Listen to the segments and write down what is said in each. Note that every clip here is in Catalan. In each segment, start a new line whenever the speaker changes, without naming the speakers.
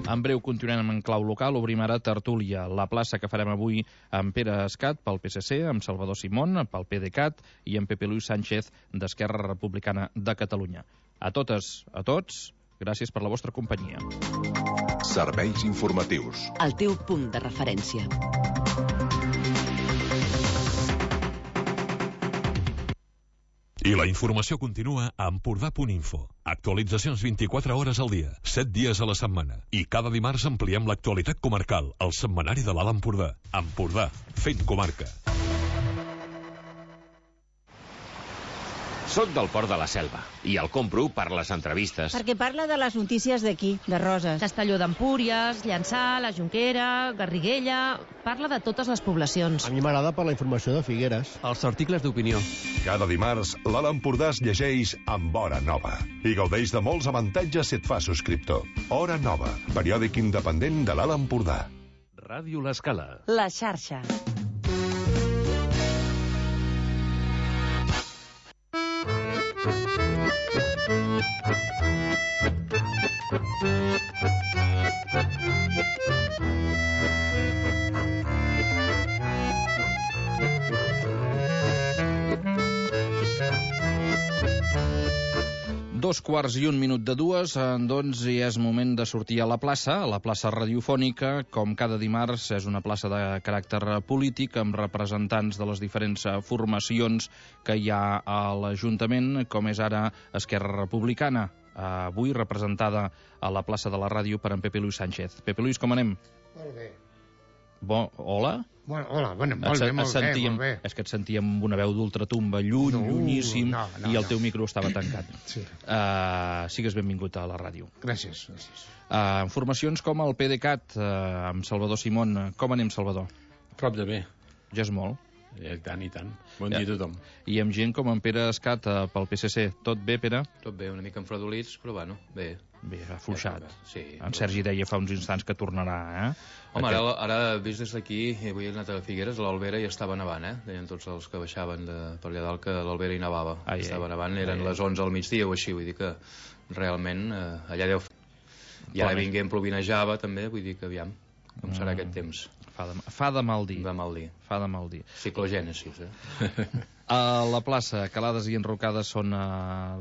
En breu continuem en clau local, obrim ara tertúlia, la plaça que farem avui amb Pere Escat pel PSC, amb Salvador Simón pel PDeCAT i amb Pepe Luis Sánchez d'Esquerra Republicana de Catalunya. A totes, a tots, gràcies per la vostra companyia.
Serveis informatius.
El teu punt de referència.
I la informació continua a Empordà.info. Actualitzacions 24 hores al dia, 7 dies a la setmana. I cada dimarts ampliem l'actualitat comarcal, al setmanari de l'Alt Empordà. Empordà, fent comarca.
Soc del Port de la Selva i el compro per les entrevistes.
Perquè parla de les notícies d'aquí, de Roses.
Castelló d'Empúries, Llançà, la Jonquera, Garriguella... Parla de totes les poblacions.
A mi m'agrada per la informació de Figueres.
Els articles d'opinió.
Cada dimarts, l'Alt Empordà es llegeix amb Hora Nova i gaudeix de molts avantatges si et fa subscriptor. Hora Nova, periòdic independent de l'Alt Empordà.
Ràdio L'Escala.
La xarxa.
Dos quarts i un minut de dues, doncs ja és moment de sortir a la plaça radiofònica. Com cada dimarts, és una plaça de caràcter polític, amb representants de les diferents formacions que hi ha a l'Ajuntament, com és ara Esquerra Republicana, avui representada a la plaça de la ràdio per en Pepe Luis Sánchez. Pepe Luis, com anem?
Molt bé.
Hola?
Hola, molt bé.
És que et sentíem amb una veu d'ultratumba, llunyíssim, i el teu micro estava tancat.
Sí.
Sigues benvingut a la ràdio.
Gràcies.
Formacions com el PDeCAT, amb Salvador Simón. Com anem, Salvador?
Prop de bé.
Ja és molt.
I tant. Bon dia a tothom.
I amb gent com en Pere Escat pel PSC. Tot bé, Pere?
Tot bé, una mica enfredolits, però bueno, bé.
Bé, afluixat.
Sí.
En Sergi deia fa uns instants que tornarà,
Home, ara vist des d'aquí, avui he anat a Figueres, a l'Albera ja estava nevant, Deien tots els que baixaven per allà dalt que a l'Albera hi nevava. Estava nevant, eren les 11 al migdia o així, vull dir que realment allà deu... I ara vinguem plovinejava també, vull dir que aviam, com serà aquest temps.
Fa de mal dir. Fa de mal dir.
Ciclogènesis,
A la plaça, calades i enrocades són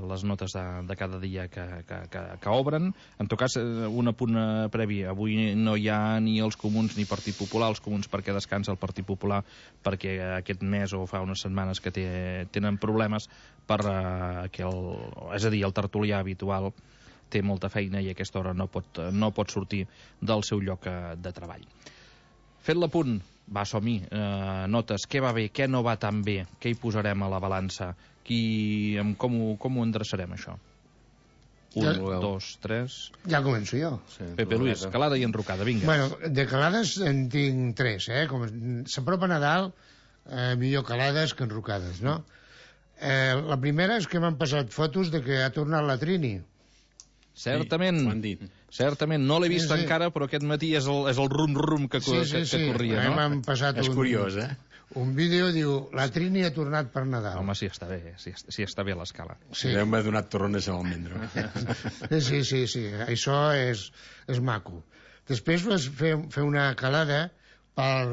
les notes de cada dia que obren. En tot cas, un apunt previ. Avui no hi ha ni els comuns ni Partit Popular. Els comuns perquè descansa el Partit Popular, perquè aquest mes o fa unes setmanes que tenen problemes és a dir, el tertulià habitual té molta feina i a aquesta hora no pot sortir del seu lloc de treball. Fet l'apunt, va, som-hi, notes, què va bé, què no va tan bé, què hi posarem a la balança, com ho endreçarem, això? 1, 2, 3...
Ja començo jo.
Pepe Luis, calada i enrocada, vinga.
Bueno, de calades en tinc 3, Com s'apropa Nadal, millor calades que enrocades, no? La primera és que m'han passat fotos de que ha tornat la Trini.
Certament, no l'he vist encara, però aquest matí és el rum-rum que corria, no?
M'han passat un vídeo, diu, la Trini ha tornat per Nadal.
Home, sí, està bé, sí està bé a l'escala.
Sí, m'ha donat torrones a l'almendro.
Sí, això és maco. Després vas fer una calada per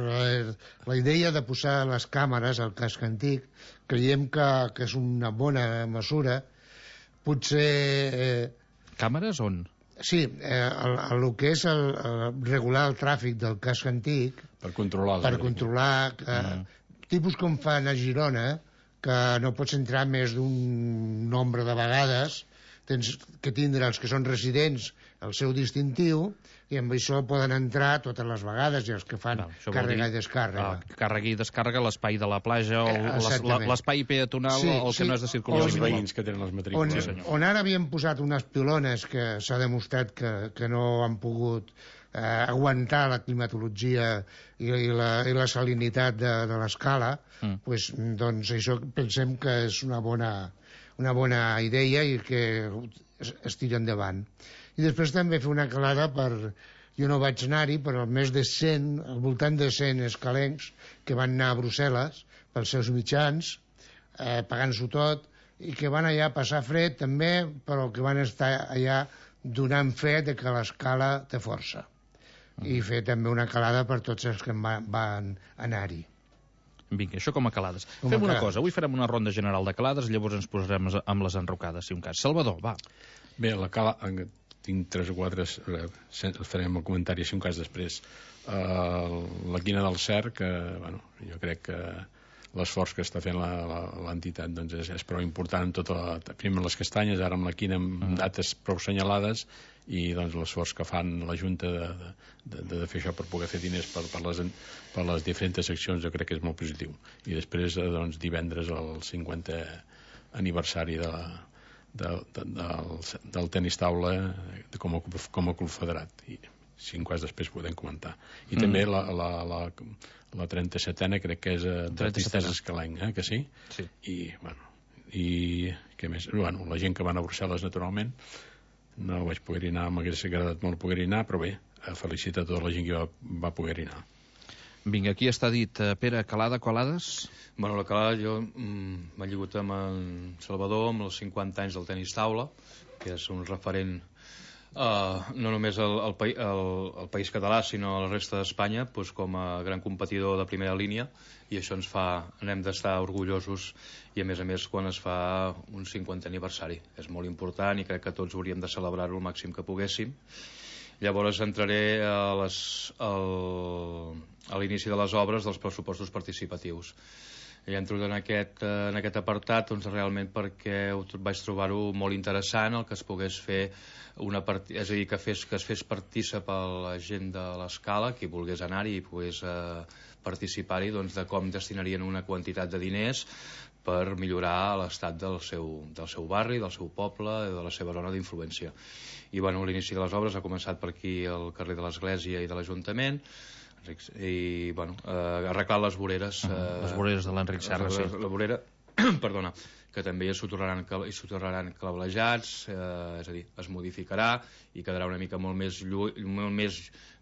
la idea de posar les càmeres al casc antic. Creiem que és una bona mesura. Potser...
Càmeres on?
Sí, el que és regular el tràfic del casc antic
per controlar
tipus com fan a Girona, que no pots entrar més d'un nombre de vegades, tens que tindre els que són residents el seu distintiu, i amb això poden entrar totes les vegades, i els que fan càrrega i descàrrega.
Càrrega i descàrrega, l'espai de la platja, l'espai peatonal, el que no és de circulació.
Els veïns que tenen les matrícules.
On ara havien posat unes pilones que s'ha demostrat que no han pogut aguantar la climatologia i la salinitat de l'escala, doncs això pensem que és una bona idea i que es tira endavant. I després també fer una calada jo no vaig anar-hi, però més de 100, al voltant de 100 escalencs que van anar a Brussel·les pels seus mitjans, pagant-s'ho tot, i que van allà passar fred també, però que van estar allà donant fe de que l'escala té força. I fer també una calada per tots els que van anar-hi.
Vinga, això com a calades. Fem una cosa, avui farem una ronda general de calades, llavors ens posarem amb les enrocades, si un cas. Salvador, va.
Bé, la cala, tinc 3 o 4, farem el comentari, si un cas després. La quina del Cerc, jo crec que l'esforç que està fent l'entitat és prou important, primer les castanyes, ara amb la quina amb dates prou senyalades, i l'esforç que fan la Junta de fer això per poder fer diners per les diferents seccions, jo crec que és molt positiu. I després divendres el 50è aniversari del tenis taula com a club federat, i si un cas després podem comentar. I també la 37a crec que és d'artistes escalenc, que sí?
Sí.
I què més? La gent que van a Brussel·les, naturalment, no vaig poder anar, m'hagués agradat molt poder anar, però bé, felicitar tota la gent que va poder anar.
Vinga, aquí està dit. Pere, calades?
Bueno, la calada jo m'he lligut amb en Salvador amb els 50 anys del tenis taula, que és un referent no només al país català, sinó a la resta d'Espanya, com a gran competidor de primera línia, i això n'hem d'estar orgullosos, i a més quan es fa un 50è aniversari. És molt important i crec que tots hauríem de celebrar-ho el màxim que poguéssim. Llavors entraré a l'inici de les obres dels pressupostos participatius. I entro en aquest apartat realment perquè vaig trobar-ho molt interessant el que es pogués fer és a dir, que es fes partícip a la gent de l'escala, qui volgués anar-hi i pogués participar-hi, de com destinarien una quantitat de diners per millorar l'estat del seu barri, del seu poble, de la seva zona d'influència. I l'inici de les obres ha començat per aquí al carrer de l'Església i de l'Ajuntament, i arreglar les voreres.
Les voreres de l'Enric Serra, sí.
La vorera, perdona, que també hi soterraran cablejats, és a dir, es modificarà i quedarà una mica molt més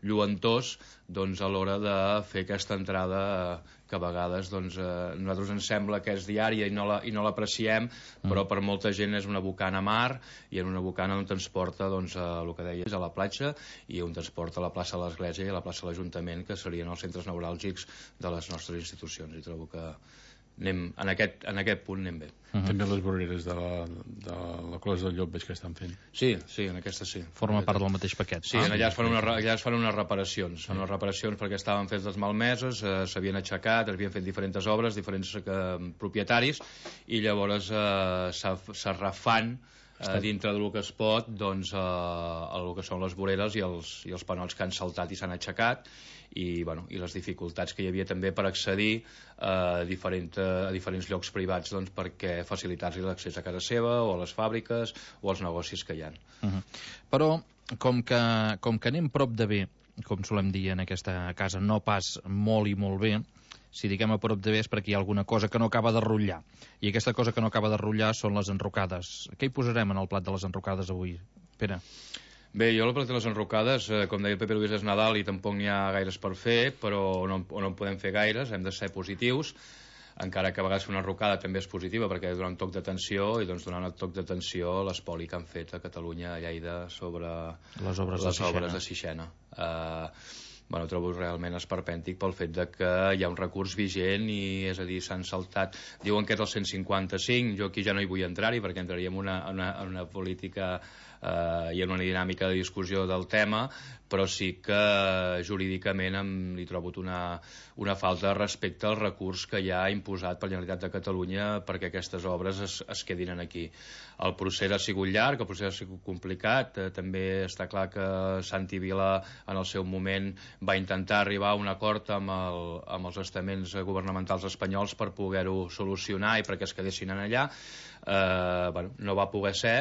lluentós a l'hora de fer aquesta entrada que a vegades a nosaltres ens sembla que és diària i no l'apreciem, però per molta gent és una bocana a mar, i en una bocana on ens porta el que deies, a la platja, i on ens porta a la plaça de l'Església i a la plaça de l'Ajuntament, que serien els centres neuràlgics de les nostres institucions. I trobo que en aquest punt anem bé.
També les voreres de la Clos del Llop veig que estan fent.
Sí, en aquesta sí.
Forma part del mateix paquet.
Sí, allà es fan unes reparacions. Són unes reparacions perquè estaven fetes malmeses, s'havien aixecat, s'havien fet diferents obres, diferents propietaris, i llavors se refan dintre del que es pot el que són les voreres i els panots que han saltat i s'han aixecat, i les dificultats que hi havia també per accedir a diferents llocs privats perquè facilitar-los l'accés a casa seva o a les fàbriques o als negocis que hi ha.
Però com que anem prop de bé, com solem dir en aquesta casa, no pas molt i molt bé, si diguem a prop de bé és perquè hi ha alguna cosa que no acaba de rutllar, i aquesta cosa que no acaba de rutllar són les enrocades. Què hi posarem en el plat de les enrocades avui, Pere?
Bé, jo el plat de les enrocades, com deia el Pepe Luis, és Nadal i tampoc n'hi ha gaires per fer, però no en podem fer gaires, hem de ser positius, encara que a vegades una enrocada també és positiva perquè dona un toc d'atenció, i donant un toc d'atenció a l'espoli que han fet a Catalunya, a Lleida, sobre les obres de Sixena. Trobo realment esperpèntic pel fet que hi ha un recurs vigent, i és a dir, s'han saltat, diuen que és el 155, jo aquí ja no hi vull entrar-hi perquè entraríem en una política i en una dinàmica de discussió del tema, però sí que jurídicament li trobo una falta de respecte al recurs que ja ha imposat per la Generalitat de Catalunya perquè aquestes obres es quedin aquí. El procés ha sigut llarg, el procés ha sigut complicat, també està clar que Santi Vila en el seu moment va intentar arribar a un acord amb els estaments governamentals espanyols per poder-ho solucionar i perquè es quedessin allà. No va poder ser,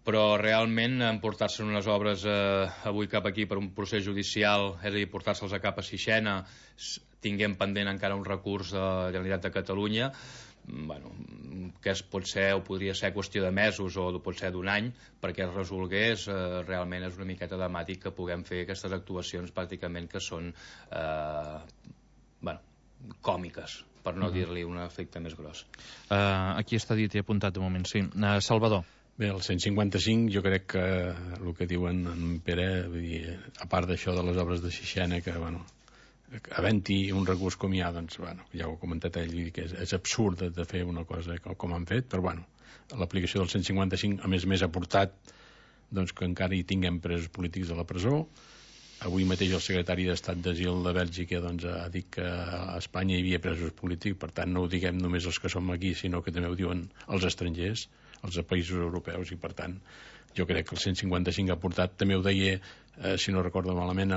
però realment emportar-se unes obres avui cap aquí per un procés judicial, és a dir, portar-se'ls a cap a Sixena, tinguem pendent encara un recurs de la Generalitat de Catalunya, que pot ser o podria ser qüestió de mesos o pot ser d'un any perquè es resolgués, realment és una miqueta dramàtic que puguem fer aquestes actuacions pràcticament que són còmiques, per no dir-li un efecte més gros.
Aquí està dit i apuntat de moment, sí. Salvador.
Bé, el 155 jo crec que el que diuen en Pere, vull dir, a part d'això de les obres de Sixena, que, bueno, havent-hi un recurs com hi ha, doncs, bueno, ja ho ha comentat ell, que és absurd de fer una cosa com han fet, però, bueno, l'aplicació del 155, a més ha portat doncs, que encara hi tinguem presos polítics a la presó. Avui mateix el secretari d'Estat d'Asil de Bèlgica doncs, ha dit que a Espanya hi havia presos polítics, per tant no ho diguem només els que som aquí, sinó que també ho diuen els estrangers, els països europeus, i per tant jo crec que el 155 ha portat, també ho deia, si no recordo malament,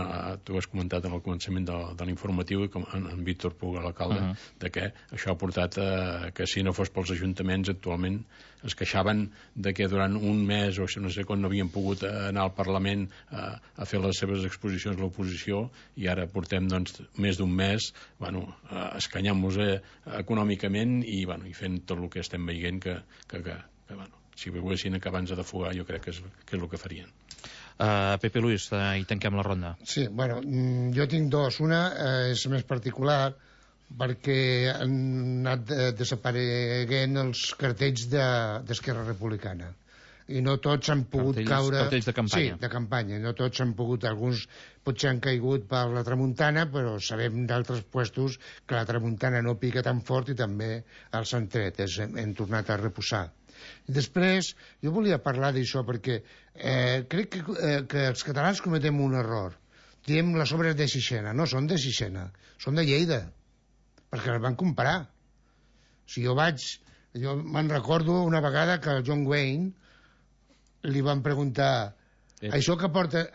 tu has comentat en el començament de l'informatiu, i com en Víctor Puga, l'alcalde, de que això ha portat que si no fos pels ajuntaments actualment es queixaven de que durant un mes o no sé quan no havien pogut anar al Parlament a fer les seves exposicions a l'oposició, i ara portem doncs, més d'un mes escanyant-nos econòmicament i fent tot el que estem veient que si volguessin acabar de fugar jo crec que és el que farien.
Pepe Luis, i tanquem la ronda.
Sí, bueno, jo tinc dos. Una és més particular perquè han anat desapareguent els cartells d'Esquerra Republicana i no tots han pogut caure...
Cartells de campanya.
Sí, de campanya. No tots han pogut, alguns potser han caigut per la tramuntana, però sabem d'altres puestos que la tramuntana no pica tan fort i també els han tret, hem tornat a reposar. I després, jo volia parlar d'això perquè crec que els catalans cometem un error. Diem les obres de Sixena. No són de Sixena, són de Lleida, perquè les van comprar. Si jo me'n recordo una vegada que el John Wayne li van preguntar això que porta,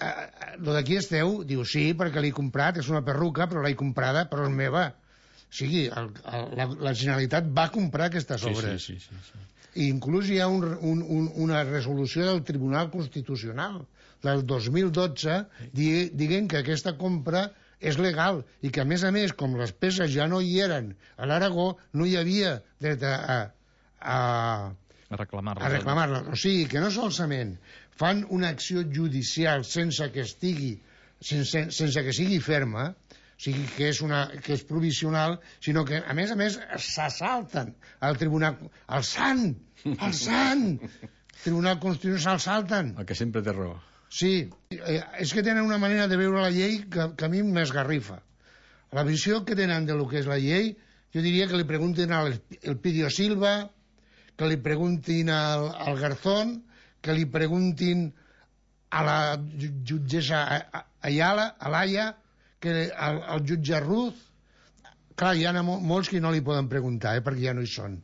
lo d'aquí és teu? Diu, sí, perquè l'he comprat, és una perruca, però l'he comprada, però és meva. O sigui, la Generalitat va comprar aquestes obres.
Sí.
I inclús hi ha una resolució del Tribunal Constitucional del 2012 dient que aquesta compra és legal i que, a més, com les peces ja no hi eren a l'Aragó, no hi havia dret a reclamar-les. O sigui, que no solament fan una acció judicial sense que sigui ferma, o sigui, que és provisional, sinó que, a més, s'assalten al Tribunal... El sant Tribunal Constitucional s'assalten.
El que sempre té raó.
Sí, és que tenen una manera de veure la llei que a mi m'esgarrifa. La visió que tenen de lo que és la llei, jo diria que li preguntin al Pidio Silva, que li preguntin al Garzón, que li preguntin a la jutgessa Alaya, que el jutge Ruz. Clar, hi ha molts que no li poden preguntar, perquè ja no hi són.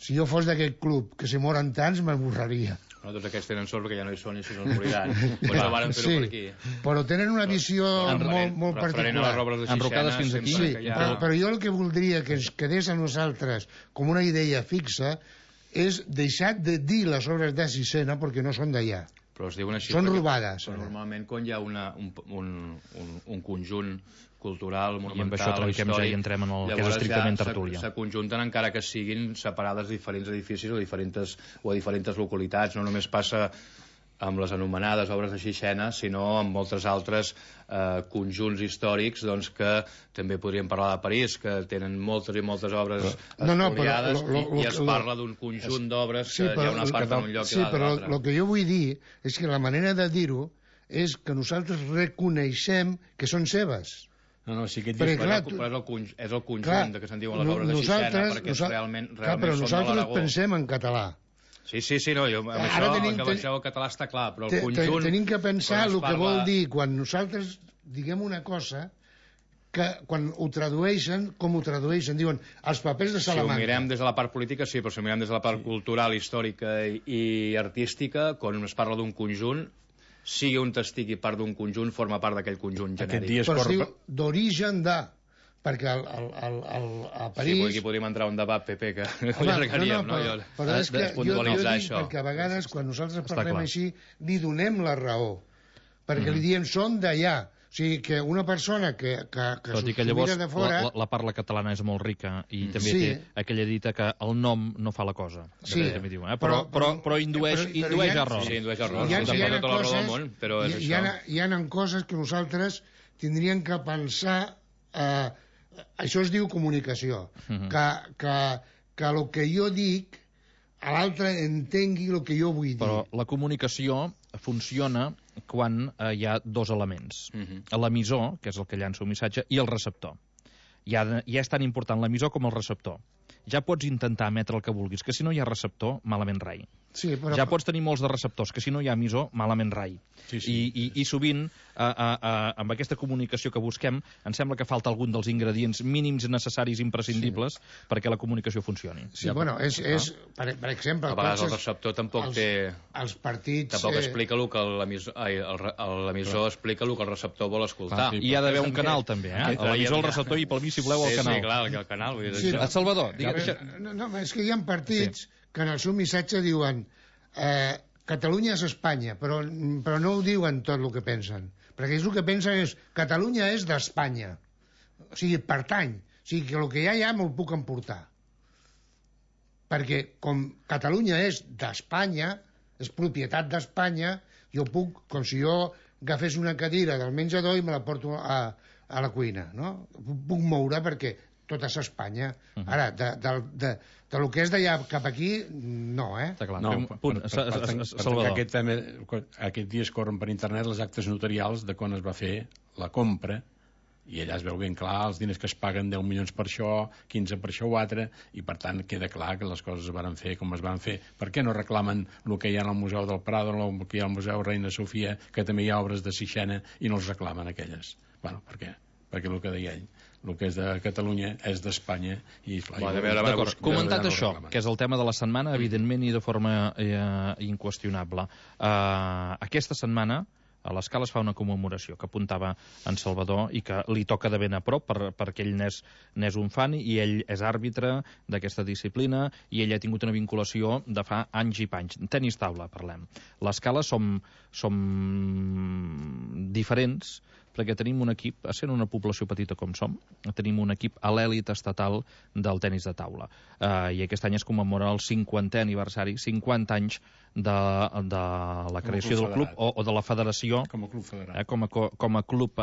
Si jo fos d'aquest club, que si moren tants, m'esborraria.
No, tots aquests tenen sort perquè ja no hi són i si no es moriran. Pues no varen fer-ho per aquí.
Però tenen una visió molt particular.
Enrocades fins aquí.
Sí, però jo el que voldria que ens quedés a nosaltres com una idea fixa és deixar de dir les obres de Sixena perquè no són d'allà. Són robades.
Però normalment quan hi ha un conjunt cultural, monumental,
i amb això trenquem ja i entrem en el que és estrictament tertúlia.
S'aconjunten encara que siguin separades de diferents edificis o a diferents localitats. No només passa amb les anomenades obres de Sixena, sinó amb moltes altres conjunts històrics que també podríem parlar de París, que tenen moltes i moltes obres espoliades i es parla d'un conjunt d'obres que hi ha una part en un lloc i l'altre.
Sí, però el que jo vull dir és que la manera de dir-ho és que nosaltres reconeixem que són seves.
No, sí que et dius, és el conjunt que se'n diuen les obres de Sixena, perquè realment són de l'Aragó.
Però nosaltres pensem en català.
Sí, no, amb això que baixeu el català està clar, però el conjunt...
Tenim que pensar el que vol dir quan nosaltres diguem una cosa, que quan ho tradueixen, com ho tradueixen, diuen els papers de Salamanca.
Si ho mirem des de la part política, sí, però si ho mirem des de la part cultural, històrica i artística, quan es parla d'un conjunt, sigui un estigui part d'un conjunt, forma part d'aquell conjunt genèric.
Però es diu d'origen de... perquè a París...
Sí, aquí podríem entrar un debat, Pepe, que allargaríem, no?
Però és que jo dic perquè a vegades, quan nosaltres parlem així, li donem la raó, perquè li diem són d'allà. O sigui, que una persona que
s'ho mira de fora... La parla catalana és molt rica i també té aquella dita que el nom no fa la cosa.
Sí,
però indueix error.
Sí, indueix error.
Hi ha coses que nosaltres tindríem que pensar... Això es diu comunicació. Que el que jo dic l'altre entengui el que jo vull dir.
Però la comunicació funciona quan hi ha dos elements. L'emissor, que és el que llança un missatge, i el receptor. Ja és tan important l'emissor com el receptor. Ja pots intentar emetre el que vulguis, que si no hi ha receptor, malament rai.
Sí, però...
Ja pots tenir molts de receptors, que si no hi ha emissor, malament rai. I sovint, amb aquesta comunicació que busquem, em sembla que falta algun dels ingredients mínims necessaris imprescindibles perquè la comunicació funcioni.
Sí, bueno, per exemple...
A vegades el receptor tampoc té...
Els partits...
Tampoc explica el que l'emissor explica el que el receptor vol escoltar.
I hi ha d'haver un canal, també, eh? L'emissor, el receptor i pel mig, si voleu, el canal.
Sí, clar, el canal.
Salvador, digue'm...
No, és que hi ha partits que en el seu missatge diuen Catalunya és Espanya, però no ho diuen tot el que pensen. Perquè ells el que pensen és Catalunya és d'Espanya. O sigui, pertany. O sigui, que el que hi ha me'l puc emportar. Perquè com Catalunya és d'Espanya, és propietat d'Espanya, jo puc, com si jo agafés una cadira del menjador i me la porto a la cuina, no? Puc moure perquè tot és Espanya. Ara, del que és d'allà cap aquí, no, eh?
Està clar.
No, Salvador. Aquest dia es corren per internet els actes notarials de quan es va fer la compra, i allà es veu ben clar els diners que es paguen, 10 milions per això, 15 per això o altre, i per tant queda clar que les coses es van fer com es van fer. Per què no reclamen el que hi ha al Museu del Prado, el que hi ha al Museu Reina Sofia, que també hi ha obres de Sixena, i no els reclamen aquelles? Bueno, per què? Perquè el que deia ell, el que és de Catalunya és d'Espanya.
D'acord, comentat això, que és el tema de la setmana, evidentment i de forma inqüestionable. Aquesta setmana a l'Escala es fa una commemoració que apuntava en Salvador i que li toca de ben a prop perquè ell n'és un fan i ell és àrbitre d'aquesta disciplina i ell ha tingut una vinculació de fa anys i panys. Tenis taula, parlem. L'Escala som diferents perquè tenim un equip, essent una població petita com som, tenim un equip a l'èlit estatal del tenis de taula. I aquest any es commemora el 50è aniversari, 50 anys de la creació del club o de la federació
com a club federat.
Com a club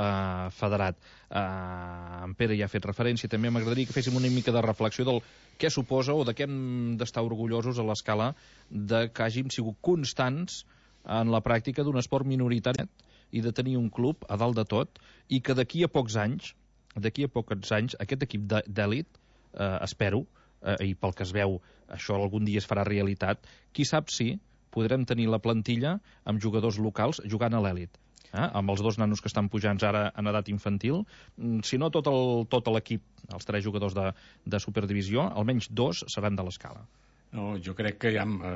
federat. En Pere ja ha fet referència, també m'agradaria que féssim una mica de reflexió del què suposa o de què hem d'estar orgullosos a l'Escala de que hàgim sigut constants en la pràctica d'un esport minoritari i de tenir un club a dalt de tot i que d'aquí a pocs anys aquest equip d'èlit, espero, i pel que es veu això algun dia es farà realitat, qui sap si podrem tenir la plantilla amb jugadors locals jugant a l'èlit. Amb els 2 nanos que estan pujant ara en edat infantil, si no tot l'equip, els 3 jugadors de Superdivisió, almenys 2 seran de l'Escala.
No, jo crec que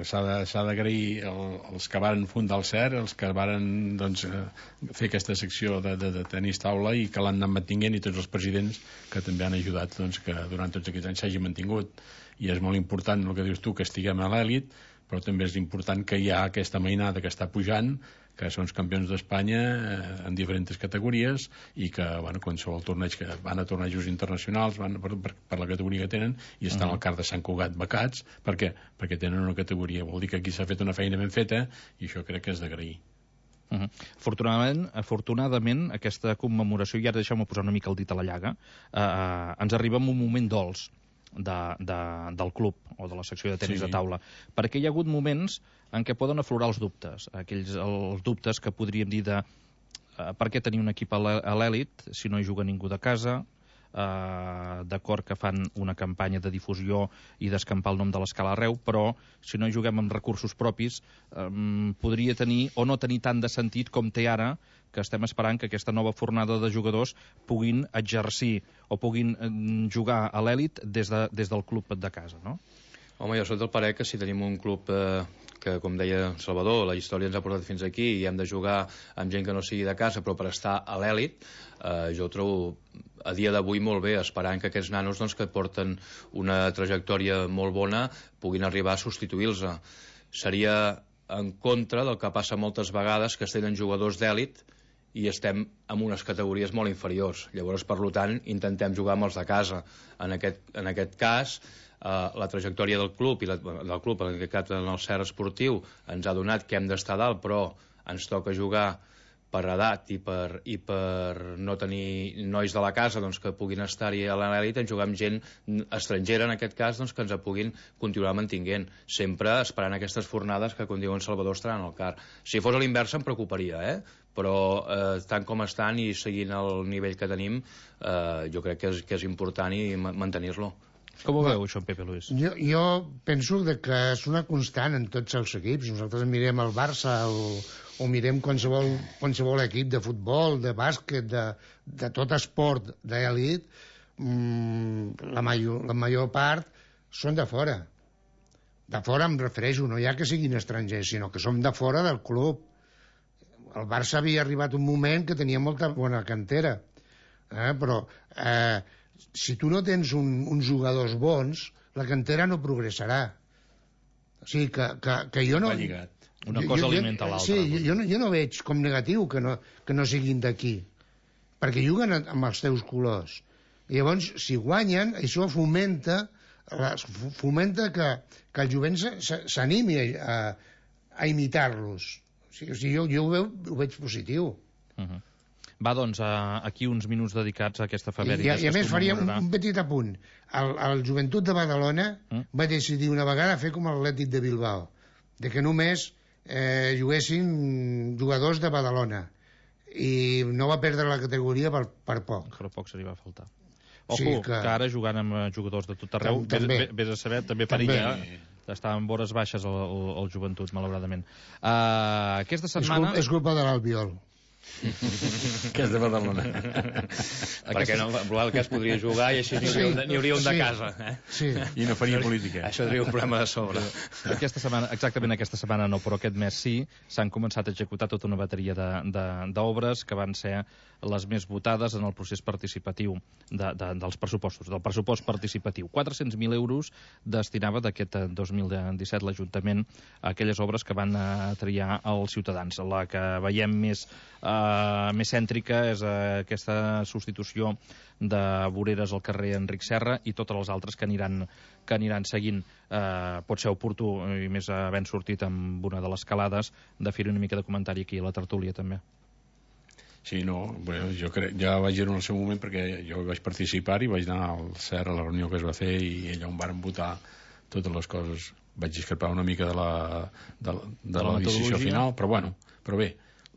s'ha d'agrair els que varen fundar el CER, els que varen fer aquesta secció de tenis taula i que l'han anat mantinguent, i tots els presidents que també han ajudat que durant tots aquests anys s'hagi mantingut. I és molt important el que dius tu, que estiguem a l'èlit, però també és important que hi ha aquesta mainada que està pujant, que són els campions d'Espanya en diferents categories i que, qualsevol torneig que van a tornejos internacionals van per la categoria que tenen i estan al CAR de Sant Cugat becats. Per què? Perquè tenen una categoria. Vol dir que aquí s'ha fet una feina ben feta i això crec que és d'agrair.
Afortunadament, aquesta commemoració, i ara deixeu-me posar una mica el dit a la llaga, ens arriba en un moment dolç del club o de la secció de tenis de taula, perquè hi ha hagut moments en què poden aflorar els dubtes, els dubtes que podríem dir de per què tenir un equip a l'èlit si no hi juga ningú de casa, d'acord que fan una campanya de difusió i d'escampar el nom de l'Escala arreu, però si no hi juguem amb recursos propis podria tenir o no tenir tant de sentit com té ara, que estem esperant que aquesta nova fornada de jugadors puguin exercir o puguin jugar a l'èlit des del club de casa, no?
Home, jo soc del parer que si tenim un club que, com deia Salvador, la història ens ha portat fins aquí i hem de jugar amb gent que no sigui de casa, però per estar a l'èlit, jo ho trobo a dia d'avui molt bé, esperant que aquests nanos que porten una trajectòria molt bona puguin arribar a substituir-los. Seria en contra del que passa moltes vegades, que es tenen jugadors d'èlit i estem en unes categories molt inferiors. Llavors, per tant, intentem jugar amb els de casa. En aquest cas, la trajectòria del club, en aquest cas en el CER esportiu, ens ha donat que hem d'estar dalt, però ens toca jugar per edat i per no tenir nois de la casa doncs, que puguin estar-hi a l'anèlit, en jugar amb gent estrangera, en aquest cas, doncs, que ens puguin continuar mantinguent, sempre esperant aquestes fornades que, com diuen Salvador, estaran al car. Si fos a l'inversa em preocuparia, però tant com estan i seguint el nivell que tenim, jo crec que és important i mantenir-lo.
Com ho veu, això, en Pepe Luis?
Jo penso que és una constant en tots els equips. Nosaltres mirem el Barça o mirem qualsevol equip de futbol, de bàsquet, de tot esport d'elit, la major part són de fora. De fora em refereixo, no ja que siguin estrangers, sinó que som de fora del club. El Barça havia arribat un moment que tenia molta bona cantera, però si tu no tens uns jugadors bons, la cantera no progressarà. O sigui, que jo no...
Una cosa alimenta l'altra.
Sí, jo no veig com negatiu que no siguin d'aquí, perquè juguen amb els teus colors. I llavors, si guanyen, això fomenta que el jovent s'animi a imitar-los. O sigui, jo ho veig positiu.
Va, doncs, aquí uns minuts dedicats a aquesta efemèride.
I a més faríem un petit apunt. El Joventut de Badalona va decidir una vegada fer com l'Atlètic de Bilbao, de que només juguessin jugadors de Badalona, i no va perdre la categoria per poc.
Per poc se li va faltar. Ojo, que ara jugant amb jugadors de tot arreu, vés a saber, també perilla està en vores baixes el Joventut, malauradament. Aquesta setmana...
És culpa de l'Albiol.
Que és de Badalona. Perquè no, en el cas podria jugar i així n'hi hauria un de casa.
I no faria política.
Això tindria un problema de sobre.
Exactament aquesta setmana no, però aquest mes sí, s'han començat a executar tota una bateria d'obres que van ser les més votades en el procés participatiu dels pressupostos, del pressupost participatiu. 400.000 euros destinava d'aquest 2017 l'Ajuntament a aquelles obres que van triar els ciutadans. La que veiem més cèntrica és aquesta substitució de voreres al carrer Enric Serra i totes les altres que aniran seguint. Pot ser oportú, i més havent sortit amb una de les calades, de fer una mica de comentari aquí a la tertúlia també.
Sí, no, bueno, jo crec, ja vaig dir en el seu moment, perquè jo vaig participar i vaig anar al CER a la reunió que es va fer i allà on varen votar totes les coses. Vaig discrepar una mica de la decisió final, però bé,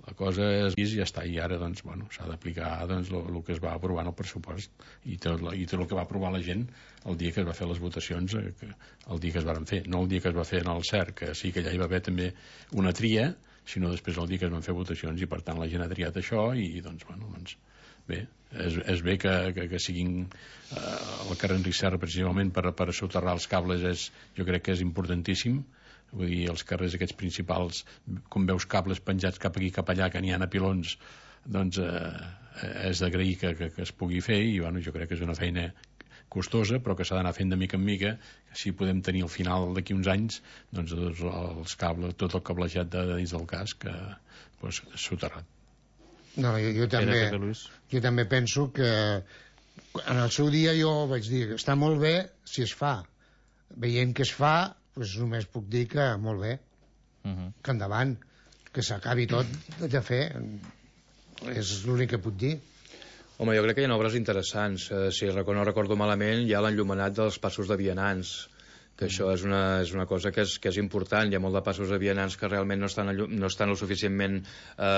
la cosa és i ja està, i ara doncs, bueno, s'ha d'aplicar doncs, el que es va aprovar en el pressupost i tot el que va aprovar la gent el dia que es va fer les votacions, el dia que es van fer, no el dia que es va fer en el CER, que sí que allà hi va haver també una tria, sinó després el dia que es van fer votacions, i per tant la gent ha triat això i doncs, bueno, doncs bé, és bé que siguin el carrer Enric Serra precisament per soterrar els cables, jo crec que és importantíssim. Vull dir, els carrers aquests principals, com veus cables penjats cap aquí cap allà que n'hi ha a pilons, doncs és d'agrair que es pugui fer, i bueno, jo crec que és una feina costosa però que s'ha d'anar fent de mica en mica, que si podem tenir al final d'aquí uns anys doncs els cables, tot el cablejat de dins del casc doncs, soterrat.
No, jo també penso que en el seu dia jo vaig dir que està molt bé si es fa. Veient que es fa, doncs només puc dir que molt bé, que endavant, que s'acabi tot de fer, és l'únic que puc dir.
Home, jo crec que hi ha obres interessants. Si no recordo malament, hi ha l'enllumenat dels passos de vianants, que això és una cosa que és important. Hi ha molt de passos de vianants que realment no estan el suficientment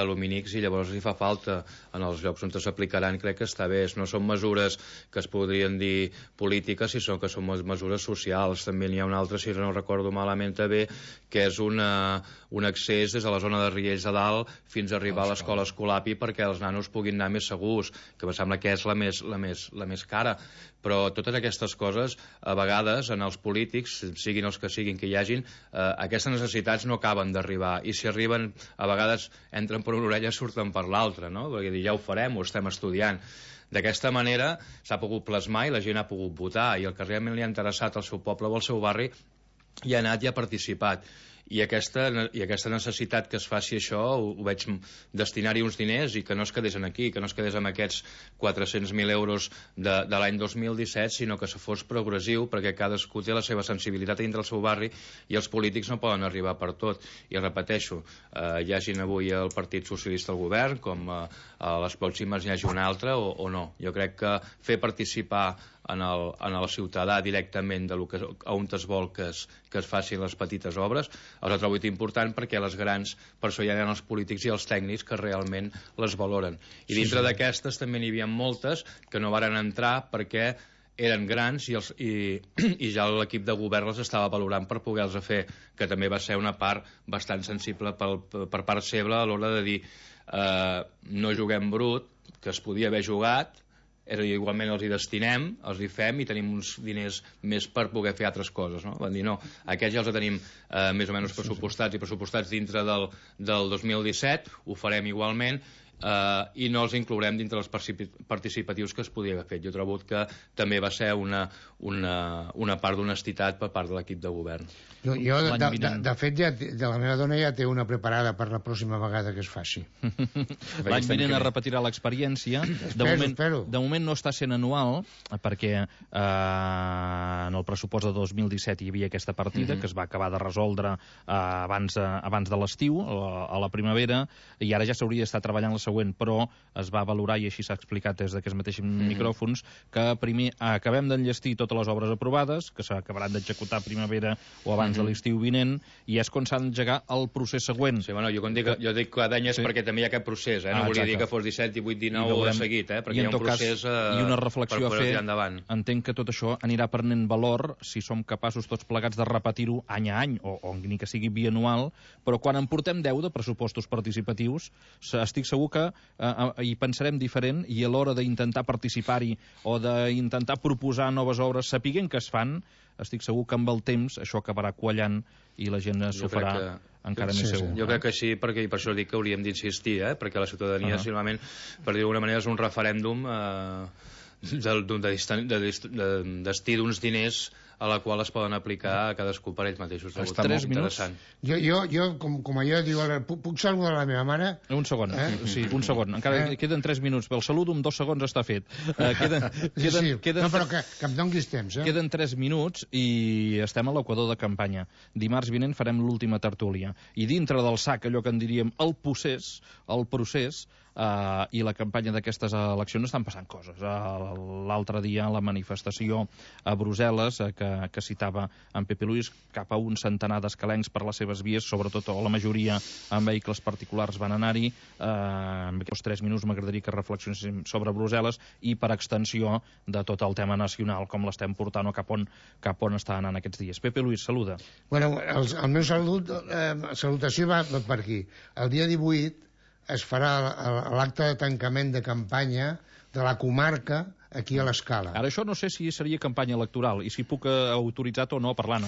lumínics, i llavors hi fa falta en els llocs on s'aplicaran. Crec que està bé. No són mesures que es podrien dir polítiques, sinó que són mesures socials. També n'hi ha una altra, si no recordo malament també, que és un accés des de la zona de Riells de Dalt fins a arribar a l'escola Escolapi perquè els nanos puguin anar més segurs, que em sembla que és la més cara. Però totes aquestes coses, a vegades, en els polítics, siguin els que siguin que hi hagin, aquestes necessitats no acaben d'arribar, i si arriben, a vegades entren per una orella i surten per l'altra, no? Perquè dir, ja ho farem, ho estem estudiant. D'aquesta manera s'ha pogut plasmar i la gent ha pogut votar, i el que realment li ha interessat al seu poble o al seu barri hi ha anat i ha participat. i aquesta necessitat que es faci això ho veig destinar-hi uns diners i que no es quedés aquí, que no es quedés amb aquests 400.000 euros de l'any 2017, sinó que se fos progressiu, perquè cadascú té la seva sensibilitat dintre el seu barri i els polítics no poden arribar per tot. I repeteixo, hi hagin avui el Partit Socialista al govern, com a les pròximes hi hagi un altre o no. Jo crec que fer participar en el ciutadà directament on es vol que es facin les petites obres, els ha trobat important, perquè les grans, per això hi ha els polítics i els tècnics que realment les valoren. I dintre d'aquestes també n'hi havia moltes que no varen entrar perquè eren grans i ja l'equip de govern les estava valorant per poder-les fer, que també va ser una part bastant sensible per part seva a l'hora de dir no juguem brut, que es podia haver jugat, igualment els hi destinem, els hi fem i tenim uns diners més per poder fer altres coses, no? Van dir, no, aquests ja els tenim més o menys pressupostats dintre del 2017, ho farem igualment, i no els inclourem dintre els participatius que es podia haver fet. Jo trobo que també va ser una part d'honestitat per part de l'equip de govern.
De fet, la meva dona ja té una preparada per la pròxima vegada que es faci.
L'any vinent es repetirà l'experiència. De moment no està sent anual, perquè en el pressupost de 2017 hi havia aquesta partida que es va acabar de resoldre abans de l'estiu, a la primavera, i ara ja s'hauria d'estar treballant la següent, però es va valorar, i així s'ha explicat des d'aquests mateixos micròfons, que primer acabem d'enllestir totes les obres aprovades, que s'acabaran d'executar a primavera o abans de l'estiu vinent, i és quan s'ha d'engegar el procés següent.
Sí, bueno, jo dic cada any és perquè també hi ha aquest procés, no volia dir que fos 17, 18, 19 seguit, perquè hi ha un procés
i una reflexió a fer. Entenc que tot això anirà prenent valor si som capaços tots plegats de repetir-ho any a any, o ni que sigui bianual, però quan en portem 10 de pressupostos participatius, estic segur que hi pensarem diferent, i a l'hora d'intentar participar-hi o d'intentar proposar noves obres, sapiguent que es fan, estic segur que amb el temps això acabarà quallant i la gent s'ho farà encara més segur.
Jo crec que sí, perquè per això dic que hauríem d'insistir, perquè la ciutadania, simplement, per dir d'alguna manera, és un referèndum de destí d'uns diners a la qual es poden aplicar a cadascú per ells mateixos.
Està molt interessant.
Jo, com allò diu, puc saludar la meva mare?
Un segon, sí, un segon. Encara queden 3 minuts, però el saludo en 2 segons està fet.
No, però que em donis temps.
Queden 3 minuts i estem a l'equador de campanya. Dimarts vinent farem l'última tertúlia. I dintre del sac, allò que en diríem el procés, i la campanya d'aquestes eleccions estan passant coses. L'altre dia la manifestació a Brussel·les que citava en Pepe Luis, cap a un centenar d'escalencs per les seves vies, sobretot, o la majoria amb vehicles particulars van anar-hi. En aquests 3 minuts m'agradaria que reflexionéssim sobre Brussel·les i per extensió de tot el tema nacional, com l'estem portant o cap on està anant aquests dies. Pepe Luis, saluda.
Bueno, el meu salutació va per aquí. El dia 18 es farà l'acte de tancament de campanya de la comarca aquí a l'Escala.
Ara això no sé si seria campanya electoral i si puc autoritzar o no parlant,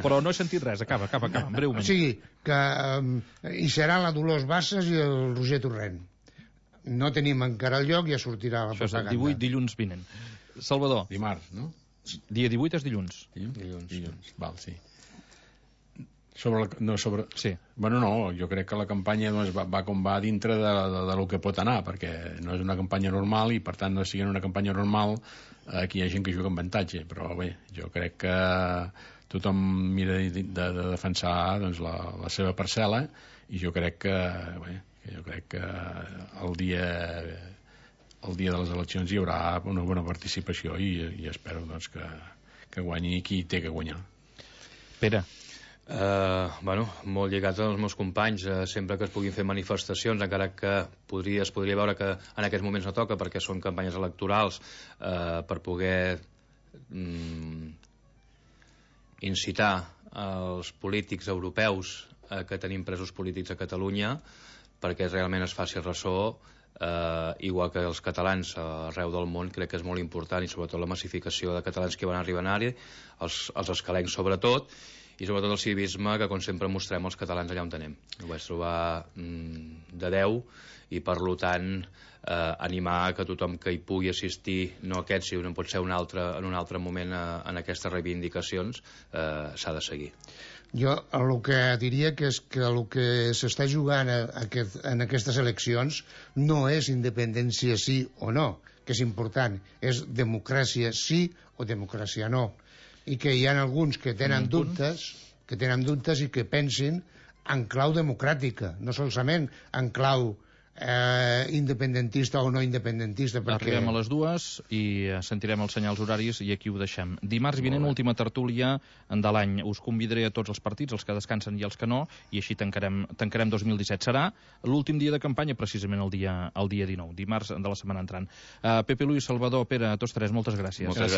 però no he sentit res. Acaba, breument.
O sigui, que hi serà la Dolors Bassas i el Roger Torrent. No tenim encara el lloc, ja sortirà la propaganda.
Això és el 18, dilluns vinent. Salvador.
Dimarts, no?
Dia 18 és dilluns.
Dilluns, val, sí. Sí. Bueno, no, jo crec que la campanya va com va dintre de lo que pot anar, perquè no és una campanya normal i, per tant, no sigui una campanya normal, aquí hi ha gent que juga amb avantatge, però bé, jo crec que tothom mira de defensar doncs, la seva parcel·la, i jo crec que el dia de les eleccions hi haurà una bona participació i espero doncs, que guanyi qui té que guanyar.
Pere.
Molt lligat als meus companys, sempre que es puguin fer manifestacions, encara que es podria veure que en aquests moments no toca perquè són campanyes electorals, per poder incitar els polítics europeus que tenim presos polítics a Catalunya perquè realment es faci ressò, igual que els catalans arreu del món. Crec que és molt important, i sobretot la massificació de catalans que van arribar a anar-hi, els escalencs sobretot, i sobretot el civisme que, com sempre, mostrem els catalans allà on anem. Ho vaig trobar de 10 i, per tant, animar que tothom que hi pugui assistir, no aquest, si no pot ser en un altre moment en aquestes reivindicacions, s'ha de seguir.
Jo el que diria que és que el que s'està jugant en aquestes eleccions no és independència sí o no, que és important, és democràcia sí o democràcia no. I que hi ha alguns que tenen dubtes i que pensin en clau democràtica, no solament en clau independentista o no independentista.
Arribem a les 2 i sentirem els senyals horaris i aquí ho deixem. Dimarts vinent, última tertúlia de l'any. Us convidaré a tots els partits, els que descansen i els que no, i així tancarem 2017. Serà l'últim dia de campanya, precisament el dia 19, dimarts de la setmana entrant. Pepe, Luis, Salvador, Pere, a tots tres, moltes gràcies.
Moltes gràcies.